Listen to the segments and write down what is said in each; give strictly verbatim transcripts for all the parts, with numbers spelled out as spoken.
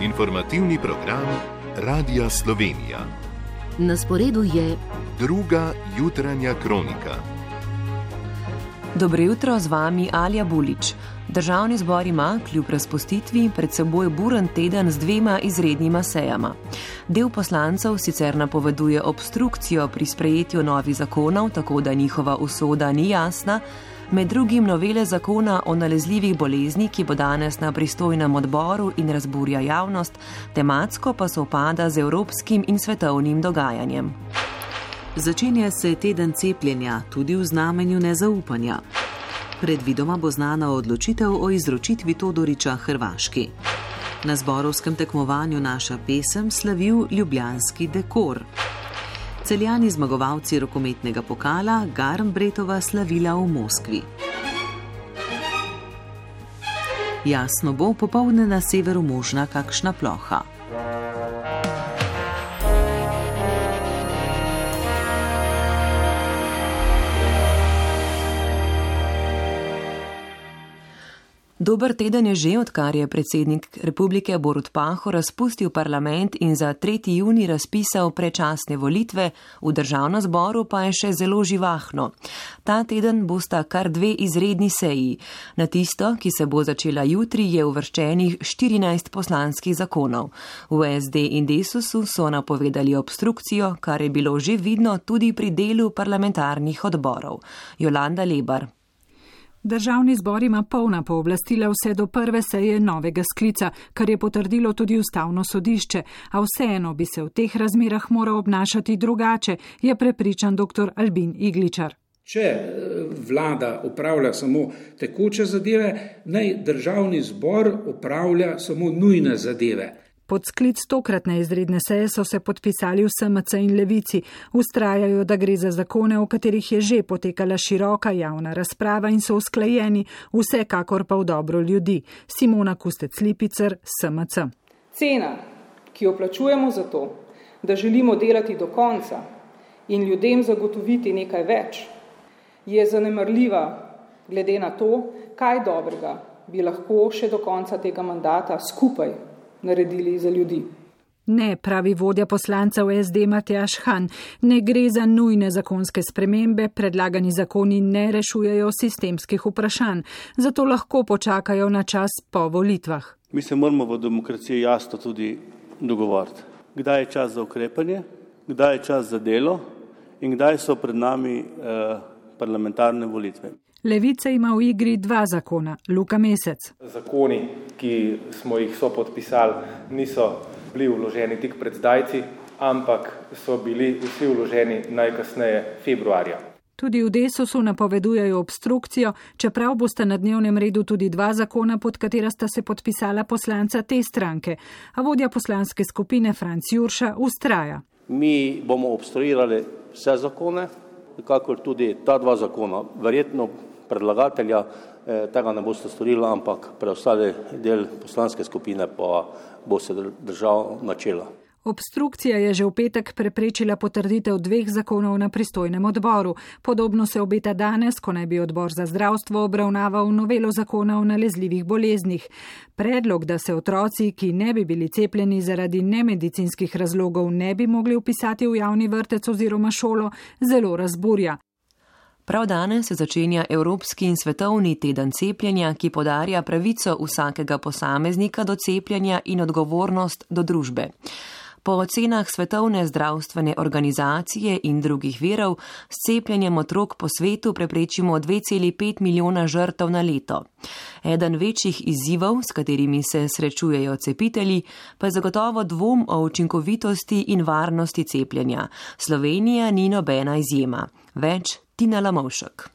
Informativni program Radia Slovenija. Na sporedu je druga jutranja kronika. Dobro jutro, z vami Alja Bulič. Državni zbor ima, kljub razpustitvi, pred seboj buren teden z dvema izrednima sejama. Del poslancev sicer napoveduje obstrukcijo pri sprejetju novih zakonov, tako da njihova usoda ni jasna, med drugim novele zakona o nalezljivih bolezni, ki bo danes na pristojnem odboru in razburja javnost, tematsko pa sovpada z evropskim in svetovnim dogajanjem. Začenja se teden cepljenja, tudi v znamenju nezaupanja. Predvidoma bo znana odločitev o izročitvi Todorića Hrvaški. Na zborovskem tekmovanju Naša pesem slavil ljubljanski dekor. Celjani zmagovalci rokometnega pokala Garnbretova slavila v Moskvi. Jasno bo, popoldne na severu možna kakšna ploha. Dober teden je že, odkar je predsednik Republike Borut Pahor razpustil parlament in za tretji junij razpisal predčasne volitve, v državnem zboru pa je še zelo živahno. Ta teden bosta kar dve izredni seji. Na tisto, ki se bo začela jutri, je uvrščenih štirinajst poslanskih zakonov. V S D in Desusu so napovedali obstrukcijo, kar je bilo že vidno tudi pri delu parlamentarnih odborov. Jolanda Lebar. Državni zbor ima polna pooblastila vse do prve seje novega sklica, kar je potrdilo tudi ustavno sodišče, a vseeno bi se v teh razmerah moral obnašati drugače, je prepričan dr. Albin Igličar. Če vlada upravlja samo tekoče zadeve, naj državni zbor upravlja samo nujne zadeve. Pod sklic tokratne izredne seje so se podpisali v S M C in Levici. Vztrajajo, da gre za zakone, o katerih je že potekala široka javna razprava in so usklajeni, vsekakor pa v dobro ljudi. Simona Kustec-Lipicer, S M C. Cena, ki jo plačujemo za to, da želimo delati do konca in ljudem zagotoviti nekaj več, je zanemarljiva glede na to, kaj dobrega bi lahko še do konca tega mandata skupaj naredili za ljudi. Ne, pravi vodja poslancev S D Matjaž Han, ne gre za nujne zakonske spremembe, predlagani zakoni ne rešujejo sistemskih vprašanj, zato lahko počakajo na čas po volitvah. Mi se moramo v demokraciji jasno tudi dogovoriti, kdaj je čas za ukrepanje, kdaj je čas za delo in kdaj so pred nami eh, parlamentarne volitve. Levica ima v igri dva zakona. Luka Mesec. Zakoni, ki smo jih sopodpisali, niso bili vloženi tik pred zdajci, ampak so bili vsi vloženi najkasneje februarja. Tudi v Desusu napovedujejo obstrukcijo, čeprav bosta na dnevnem redu tudi dva zakona, pod katera sta se podpisala poslanca te stranke. A vodja poslanske skupine Franc Jurša vztraja. Mi bomo obstruirali vse zakone, kakor tudi ta dva zakona. Verjetno predlagatelja eh, tega ne boste storili, ampak preostali del poslanske skupine pa bo se držal načela. Obstrukcija je že v petek preprečila potrditev dveh zakonov na pristojnem odboru. Podobno se obeta danes, ko naj bi odbor za zdravstvo obravnaval novelo zakona o nalezljivih boleznih. Predlog, da se otroci, ki ne bi bili cepljeni zaradi nemedicinskih razlogov, ne bi mogli vpisati v javni vrtec oziroma šolo, zelo razburja. Prav danes se začenja Evropski in svetovni teden cepljenja, ki podarja pravico vsakega posameznika do cepljenja in odgovornost do družbe. Po ocenah Svetovne zdravstvene organizacije in drugih virov s cepljenjem otrok po svetu preprečimo dve celi pet milijona žrtev na leto. Eden večjih izzivov, s katerimi se srečujejo cepitelji, pa je zagotovo dvom o učinkovitosti in varnosti cepljenja. Slovenija ni nobena izjema. Več Tina Lamovšek.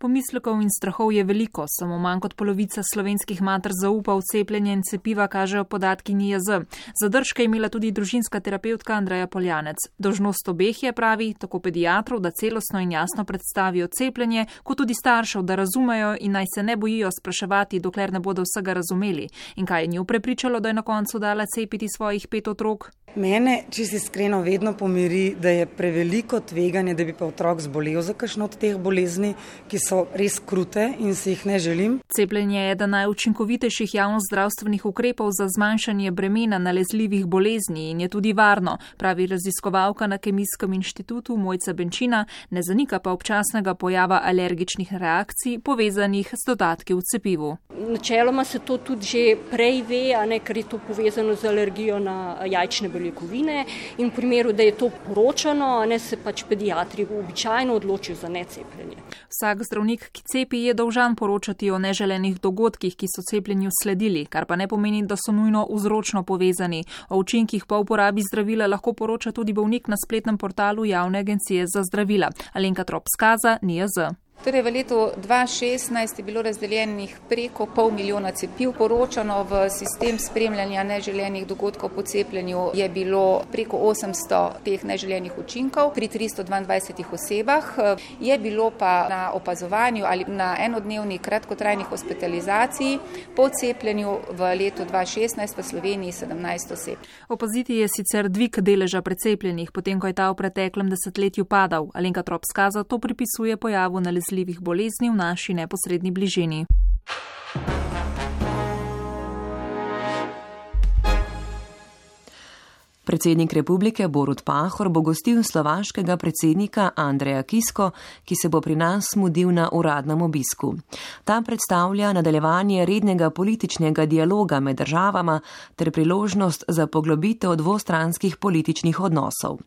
Pomislekov in strahov je veliko, samo manj kot polovica slovenskih mater zaupa v cepljenje in cepiva, kažejo podatki N I J Z. Zadržke je imela tudi družinska terapevtka Andreja Poljanec. Dolžnost obeh je, pravi, tako pediatrov, da celostno in jasno predstavijo cepljenje, kot tudi staršev, da razumejo in naj se ne bojijo spraševati, dokler ne bodo vsega razumeli. In kaj je njo prepričalo, da je na koncu dala cepiti svojih pet otrok? Mene, če si iskreno, vedno pomiri, da je preveliko tveganje, da bi pa otrok zbolel za kakšno od teh bolezni, ki so res krute in si jih ne želim. Cepljenje je eden najučinkovitejših javnozdravstvenih ukrepov za zmanjšanje bremena nalezljivih bolezni in je tudi varno, pravi raziskovalka na Kemijskem inštitutu Mojca Benčina, ne zanika pa občasnega pojava alergičnih reakcij povezanih s dodatki v cepivu. Načeloma se to tudi že prej ve, a ne, ker je to povezano z alergijo na jajčne beljakovine in v primeru, da je to poročano, ne, se pač pediatri običajno odločijo za necepljenje. Vsak zdravnik, ki cepi, je dolžan poročati o neželenih dogodkih, ki so cepljenju sledili, kar pa ne pomeni, da so nujno vzročno povezani. O učinkih po uporabi zdravila lahko poroča tudi bolnik na spletnem portalu Javne agencije za zdravila. Alenka Trop Skaza, N I J Z. Torej v letu dva tisoč šestnajst je bilo razdeljenih preko pol milijona cepiv, poročano v sistem spremljanja neželenih dogodkov po cepljenju je bilo preko osemsto teh neželenih učinkov pri tristo dvaindvajsetih osebah. Je bilo pa na opazovanju ali na enodnevni kratkotrajni hospitalizaciji po cepljenju v letu dva tisoč šestnajst v Sloveniji sedemnajst oseb. Opaziti je sicer dvig deleža precepljenih, potem ko je ta v preteklem desetletju padal. Alenka Trop Skaza to pripisuje pojavu nalezljivih bolezni v naši neposredni bližini. Predsednik republike Borut Pahor bo gostil slovaškega predsednika Andreja Kisko, ki se bo pri nas mudil na uradnem obisku. Ta predstavlja nadaljevanje rednega političnega dialoga med državama ter priložnost za poglobitev dvostranskih političnih odnosov.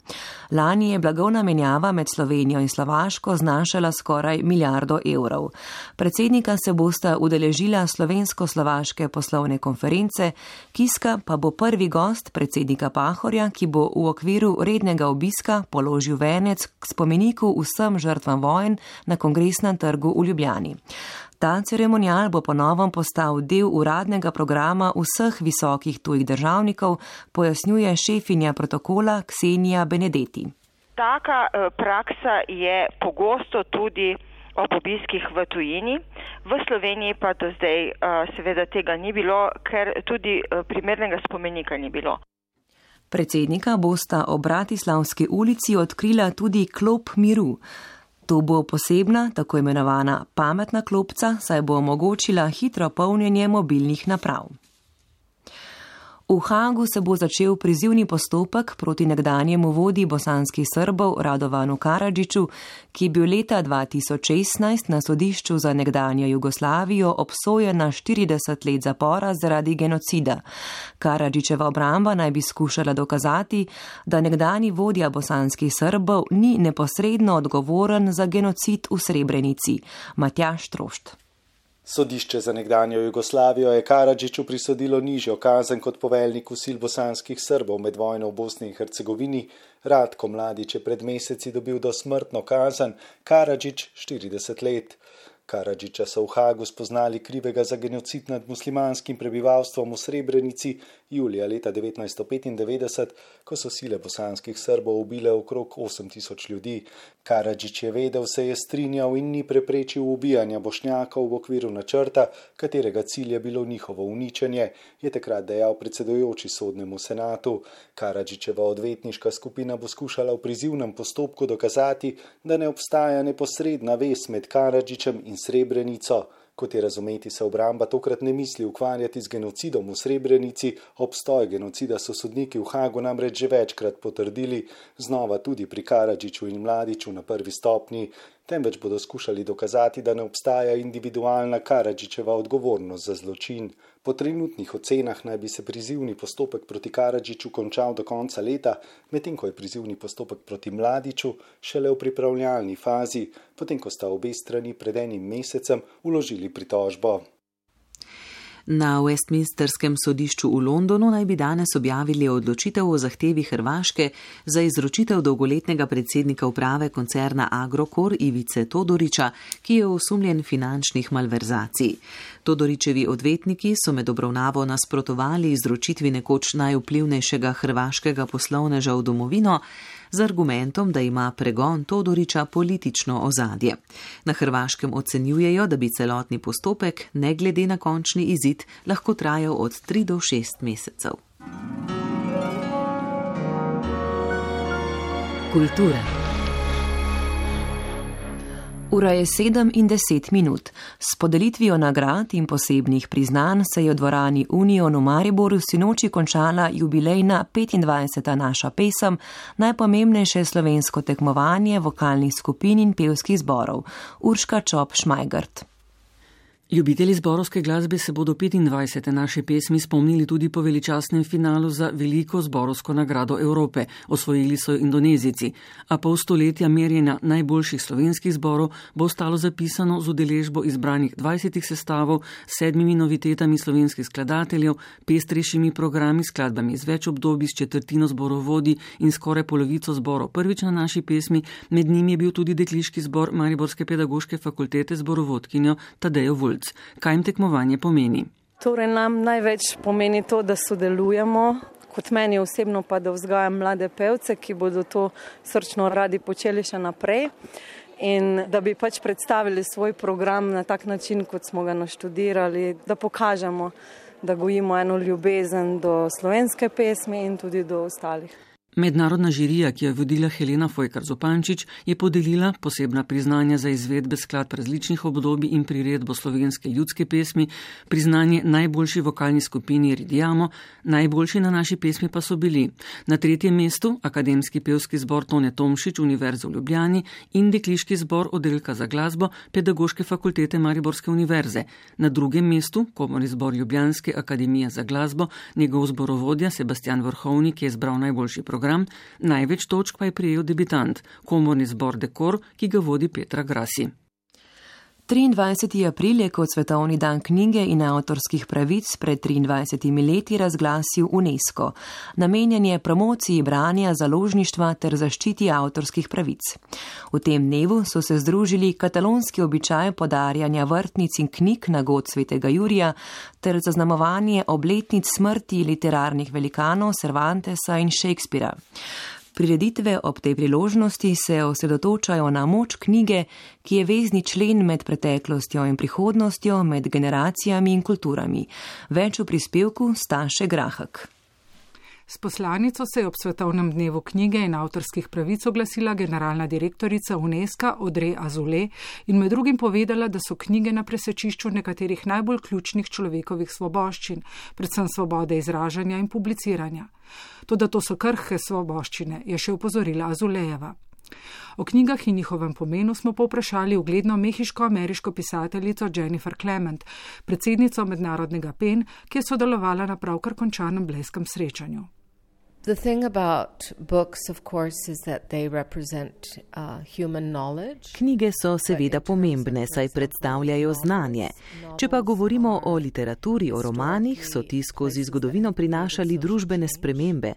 Lani je blagovna menjava med Slovenijo in Slovaško znašala skoraj milijardo evrov. Predsednika se bosta udeležila slovensko-slovaške poslovne konference, Kiska pa bo prvi gost predsednika Pahorja, ki bo v okviru rednega obiska položil venec k spomeniku vsem žrtvam vojn na Kongresnem trgu v Ljubljani. Ta ceremonial bo po novem postal del uradnega programa vseh visokih tujih državnikov, pojasnjuje šefinja protokola Ksenija Benedetti. Taka praksa je pogosto tudi ob obiskih v tujini. V Sloveniji pa do zdaj seveda tega ni bilo, ker tudi primernega spomenika ni bilo. Predsednika bosta ob Bratislavski ulici odkrila tudi klop miru. To bo posebna, tako imenovana pametna klopca, saj bo omogočila hitro polnjenje mobilnih naprav. V Hagu se bo začel prizivni postopek proti nekdanjemu vodji bosanskih Srbov Radovanu Karadžiću, ki je bil leta dva tisoč šestnajst na sodišču za nekdanjo Jugoslavijo obsojen na štirideset let zapora zaradi genocida. Karadžićeva obramba naj bi skušala dokazati, da nekdanji vodja bosanskih Srbov ni neposredno odgovoren za genocid v Srebrenici. Matjaž Trošt. Sodišče za nekdanjo Jugoslavijo je Karadžiću prisodilo nižjo kazen kot poveljniku sil bosanskih Srbov med vojno v Bosni in Hercegovini. Ratko Mladić je pred meseci dobil dosmrtno kazen, Karadžić štirideset let. Karadžića so v Hagu spoznali krivega za genocid nad muslimanskim prebivalstvom v Srebrenici julija leta devetnajststo petindevetdeset, ko so sile bosanskih Srbov ubile okrog osem tisoč ljudi. Karadžić je vedel, se je strinjal in ni preprečil ubijanja Bošnjakov v okviru načrta, katerega cilj je bilo njihovo uničenje, je takrat dejal predsedujoči sodnemu senatu. Karadžićeva odvetniška skupina bo skušala v prizivnem postopku dokazati, da ne obstaja neposredna vez med Karadžićem in Srebrenico. Kot je razumeti, se obramba tokrat ne misli ukvarjati z genocidom v Srebrenici, obstoj genocida so sodniki v Hagu namreč že večkrat potrdili, znova tudi pri Karadžiću in Mladiću na prvi stopnji, temveč bodo skušali dokazati, da ne obstaja individualna Karadžićeva odgovornost za zločin. Po trenutnih ocenah naj bi se prizivni postopek proti Karadžiću končal do konca leta, medtem ko je prizivni postopek proti Mladiću šele v pripravljalni fazi, potem ko sta obe strani pred enim mesecem vložili pritožbo. Na Westminsterskem sodišču v Londonu naj bi danes objavili odločitev o zahtevi Hrvaške za izročitev dolgoletnega predsednika uprave koncerna Agrokor Ivice Todorića, ki je osumljen finančnih malverzacij. Todorićevi odvetniki so med obravnavo nasprotovali izročitvi nekoč najvplivnejšega hrvaškega poslovneža v domovino z argumentom, da ima pregon Todorića politično ozadje. Na Hrvaškem ocenjujejo, da bi celotni postopek, ne glede na končni izid, lahko trajal od tri do šest mesecev. kulture. Ura je sedem in deset minut. S podelitvijo nagrad in posebnih priznanj se je v dvorani Union v Mariboru sinoči končala jubilejna petindvajseta Naša pesem, najpomembnejše slovensko tekmovanje vokalnih skupin in pevskih zborov. Urška Čop Šmajgart. Ljubitelji zborovske glasbe se bodo petindvajsete Naše pesmi spomnili tudi po veličastnem finalu za veliko zborovsko nagrado Evrope. Osvojili so Indonezijci, a pol stoletja merjenja najboljših slovenskih zborov bo ostalo zapisano z udeležbo izbranih dvajsetih sestavov, sedmimi novitetami slovenskih skladateljev, pestrejšimi programi, skladbami z več obdobij, s četrtino zborovodi in skoraj polovico zborov prvič na Naši pesmi. Med njimi je bil tudi dekliški zbor Mariborske pedagoške fakultete zborovodkinjo Tadejo Vulc. Kaj jim tekmovanje pomeni? Torej nam največ pomeni to, da sodelujemo, kot meni osebno pa, da vzgajam mlade pevce, ki bodo to srčno radi počeli še naprej in da bi pač predstavili svoj program na tak način, kot smo ga naštudirali, da pokažemo, da gojimo eno ljubezen do slovenske pesmi in tudi do ostalih. Mednarodna žirija, ki jo je vodila Helena Fojkar Zupančič, je podelila posebna priznanja za izvedbe skladb različnih obdobij in priredbo slovenske ljudske pesmi, priznanje najboljši vokalni skupini Ridiamo, najboljši na Naši pesmi pa so bili na tretjem mestu Akademski pevski zbor Tone Tomšič Univerze v Ljubljani in dekliški zbor Oddelka za glasbo Pedagoške fakultete Mariborske univerze, na drugem mestu Komorni zbor Ljubljanske akademije za glasbo, njegov zborovodja Sebastian Vrhovnik je izbral najboljši program. Največ točk pa je prejel debitant, Komorni zbor Dekor, ki ga vodi Petra Grasi. triindvajseti april je kot svetovni dan knjige in avtorskih pravic pred triindvajsetimi leti razglasil UNESCO. Namenjen je promociji branja, založništva ter zaščiti avtorskih pravic. V tem dnevu so se združili katalonski običaj podarjanja vrtnic in knjig na god svetega Jurija ter zaznamovanje obletnic smrti literarnih velikanov Cervantesa in Shakespearea. Prireditve ob tej priložnosti se osredotočajo na moč knjige, ki je vezni člen med preteklostjo in prihodnostjo, med generacijami in kulturami. Več v prispevku Staše Grahak. S poslanico se je ob svetovnem dnevu knjige in avtorskih pravic oglasila generalna direktorica UNESCO Audrey Azoulay in med drugim povedala, da so knjige na presečišču nekaterih najbolj ključnih človekovih svoboščin, predvsem svobode izražanja in publiciranja. Toda to so krhke svoboščine, je še opozorila Azulejeva. O knjigah in njihovem pomenu smo povprašali ugledno mehiško-ameriško pisateljico Jennifer Clement, predsednico mednarodnega P E N, ki je sodelovala na pravkar končanem blejskem srečanju. The thing about books, of course, is that they represent uh, human knowledge. Knjige so seveda pomembne, saj predstavljajo znanje. Če pa govorimo o literaturi, o romanih, so ti skozi zgodovino prinašali družbene spremembe.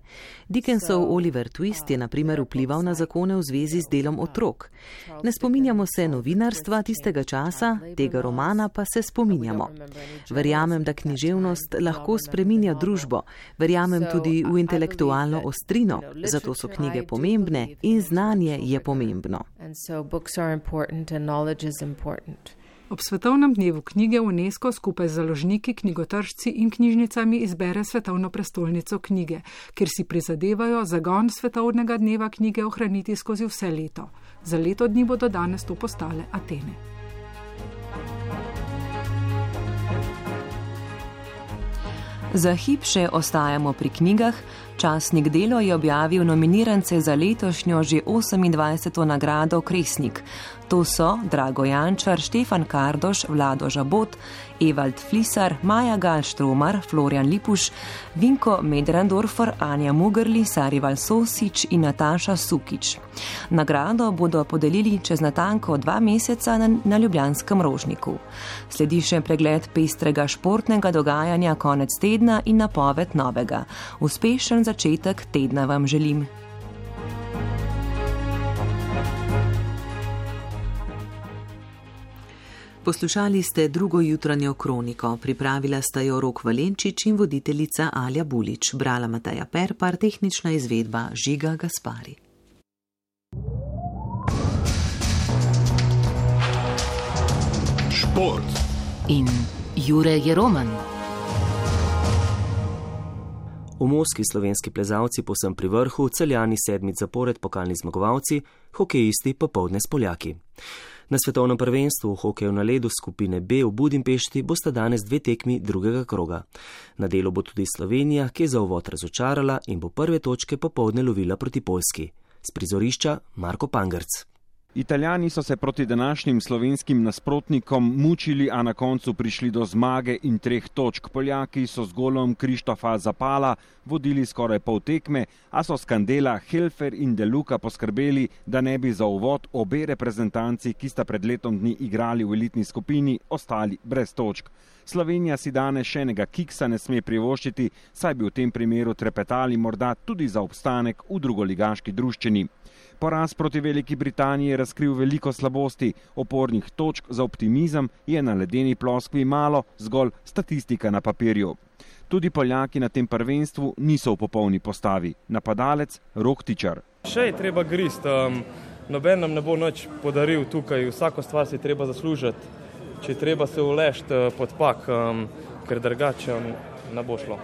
Dickensov Oliver Twist je na primer vplival na zakone v zvezi z delom otrok. Ne spominjamo se novinarstva tistega časa, tega romana pa se spominjamo. Verjamem, da književnost lahko spreminja družbo. Verjamem tudi v intelektualnost. Ostrino, zato so knjige pomembne in znanje je pomembno. Ob svetovnem dnevu knjige UNESCO skupaj z založniki, knjigotržci in knjižnicami izbere svetovno prestolnico knjige, kjer si prizadevajo zagon svetovnega dneva knjige ohraniti skozi vse leto. Za leto dni bodo danes to postale Atene. Za hip še ostajamo pri knjigah. Časnik Delo je objavil nominirance za letošnjo že osemindvajseto nagrado Kresnik. To so Drago Jančar, Štefan Kardoš, Vlado Žabot, Evald Flisar, Maja Galštromar, Florjan Lipuš, Vinko Medrandorfer, Anja Mugrli, Sarival Sosič in Nataša Sukič. Nagrado bodo podelili čez natanko dva meseca na, na Ljubljanskem Rožniku. Sledi še pregled pestrega športnega dogajanja konec tedna in napoved novega. Uspešen začetek tedna vam želim. Poslušali ste drugo jutranjo kroniko, pripravila sta jo Rok Valenčič in voditeljica Alja Bulič, brala Mateja Perpar, tehnična izvedba Žiga Gaspari. Šport in Jure Jeroman. V Moskvi slovenski plezalci povsem pri vrhu, Celjani sedmič zapored pokalni zmagovalci, hokejisti popoldne s Poljaki. Na svetovnem prvenstvu v hokeju na ledu skupine B v Budimpešti bosta danes dve tekmi drugega kroga. Na delu bo tudi Slovenija, ki je za uvod razočarala in bo prve točke popoldne lovila proti Poljski. S prizorišča Marko Pangrc. Italijani so se proti današnjim slovenskim nasprotnikom mučili, a na koncu prišli do zmage in treh točk. Poljaki so z golom Krištofa Zapala vodili skoraj pol tekme, a so skandela Helfer in De Luca poskrbeli, da ne bi za uvod obe reprezentanci, ki sta pred letom dni igrali v elitni skupini, ostali brez točk. Slovenija si danes še enega kiksa ne sme privoščiti, saj bi v tem primeru trepetali morda tudi za obstanek v drugoligaški druščini. Poraz proti Veliki Britaniji je razkril veliko slabosti, opornih točk za optimizem je na ledeni ploskvi malo, zgolj statistika na papirju. Tudi Poljaki na tem prvenstvu niso v popolni postavi. Napadalec Rok Tičar. Še je treba grist, um, noben nam ne bo nič podaril tukaj, vsako stvar si treba zaslužiti, če treba se ulešt pod pak, um, ker drugače ne bo šlo.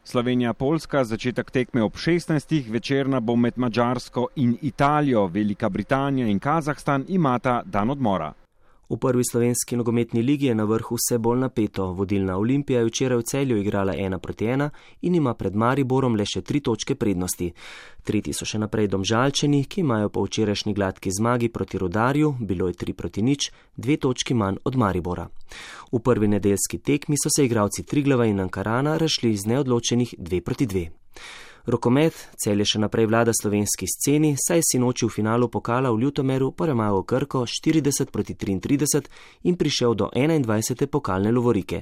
Slovenija-Poljska, začetek tekme ob šestnajstih, večerna bo med Madžarsko in Italijo, Velika Britanija in Kazahstan imata dan odmora. V prvi slovenski nogometni ligi je na vrhu vse bolj napeto. Vodilna Olimpija je včeraj v Celju igrala ena proti ena in ima pred Mariborom le še tri točke prednosti. Tretji so še naprej Domžalčani, ki imajo po včerajšnji gladki zmagi proti Rudarju, bilo je tri proti nič, dve točki manj od Maribora. V prvi nedeljski tekmi so se igralci Triglava in Ankarana razšli iz neodločenih dve proti dve. Rokomet, Celje še naprej vlada slovenski sceni, saj si noči v finalu pokala v Ljutomeru premagal Krko štirideset proti triintrideset in prišel do enaindvajsete pokalne lovorike.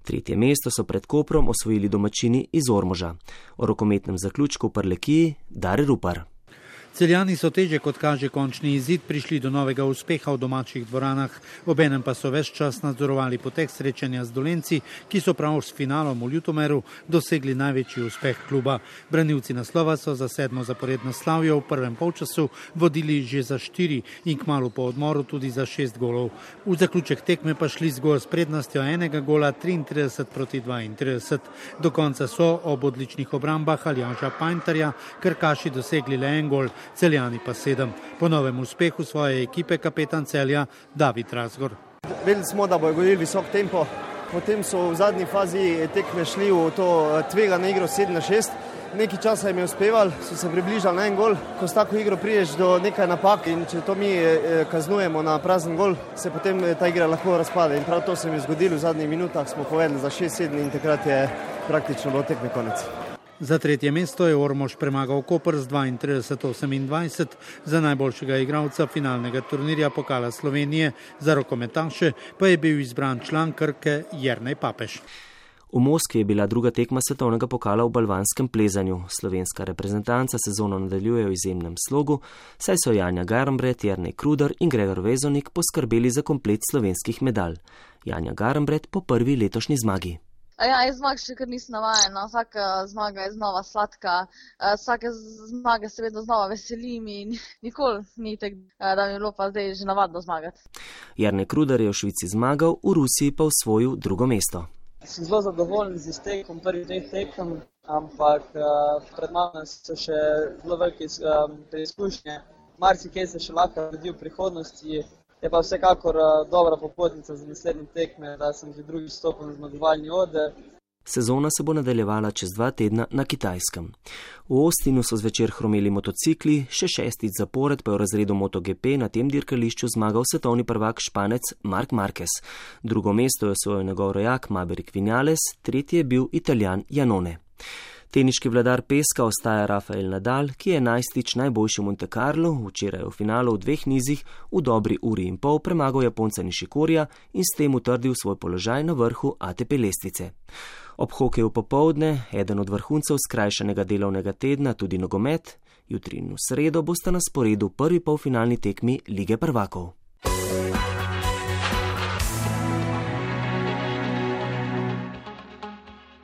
Tretje mesto so pred Koprom osvojili domačini iz Ormoža. O rokometnem zaključku v Prlekiji Dare Rupar. Celjani so teže kot kaže končni izid prišli do novega uspeha v domačih dvoranah, obenem pa so ves čas nadzorovali potek srečanja z Dolenci, ki so prav s finalom v Ljutomeru dosegli največji uspeh kluba. Branilci naslova so za sedmo zaporedno slavjo v prvem polčasu vodili že za štiri in kmalu po odmoru tudi za šest golov. V zaključek tekme pa šli zgolj s prednostjo enega gola triintrideset proti dvaintrideset. Do konca so ob odličnih obrambah Aljaža Pajntarja Krkaši dosegli le en gol, Celjani pa sedem. Po novem uspehu svoje ekipe kapetan Celja David Razgor. Vedeli smo, da bojo govorili visok tempo, potem so v zadnji fazi tekme šli v to tvegano igro sedem na šest. Nekaj časa jim je uspeval, so se približali na en gol. Ko s tako igro priješ do nekaj napak in če to mi kaznujemo na prazen gol, se potem ta igra lahko razpade. In prav to se mi je zgodilo, v zadnjih minutah smo povedali za šest sedem in takrat je praktično bilo tekme konec. Za tretje mesto je Ormož premagal Koper z dvaintrideset osemindvajset, za najboljšega igralca finalnega turnirja pokala Slovenije, za rokometaše pa je bil izbran član Krke Jernej Papež. V Moskvi je bila druga tekma svetovnega pokala v balvanskem plezanju. Slovenska reprezentanca sezono nadaljuje v izjemnem slogu, saj so Janja Garnbret, Jernej Kruder in Gregor Vezonik poskrbeli za komplet slovenskih medalj. Janja Garnbret po prvi letošnji zmagi. Ja, jaz zmag še kar nisem navajena, vsaka zmaga je znova sladka, vsake zmage se vedno znova veselim in nikoli ni tak, da mi je bilo pa zdaj že navadno zmagati. Jernej Kruder je v Švici zmagal, v Rusiji pa osvojil drugo mesto. Sem zelo zadovoljen z iztekom prvih dveh tekem, ampak pred mano so še zelo velike preizkušnje. Marsikaj se še lahko vidi v prihodnosti. Je pa vsekakor dobra popotnica za naslednje tekme, da sem že drugi stopil na zmagovalni oder. Sezona se bo nadaljevala čez dva tedna na Kitajskem. V Austinu so zvečer hromeli motocikli, še šestič zapored pa je v razredu MotoGP na tem dirkališču zmagal svetovni prvak Španec Marc Marquez. Drugo mesto je osvojil njegov rojak Maverick Vinales, tretji je bil Italijan Iannone. Teniški vladar peska ostaja Rafael Nadal, ki je enajstič najboljši v Monte Carlo, včeraj v finalu v dveh nizih v dobri uri in pol premagal Japonca Nishikorija in s tem utrdil svoj položaj na vrhu A T P lestvice. Ob hokeju popoldne, eden od vrhuncev skrajšanega delovnega tedna, tudi nogomet, jutri in v sredo bosta na sporedu prvi polfinalni tekmi Lige prvakov.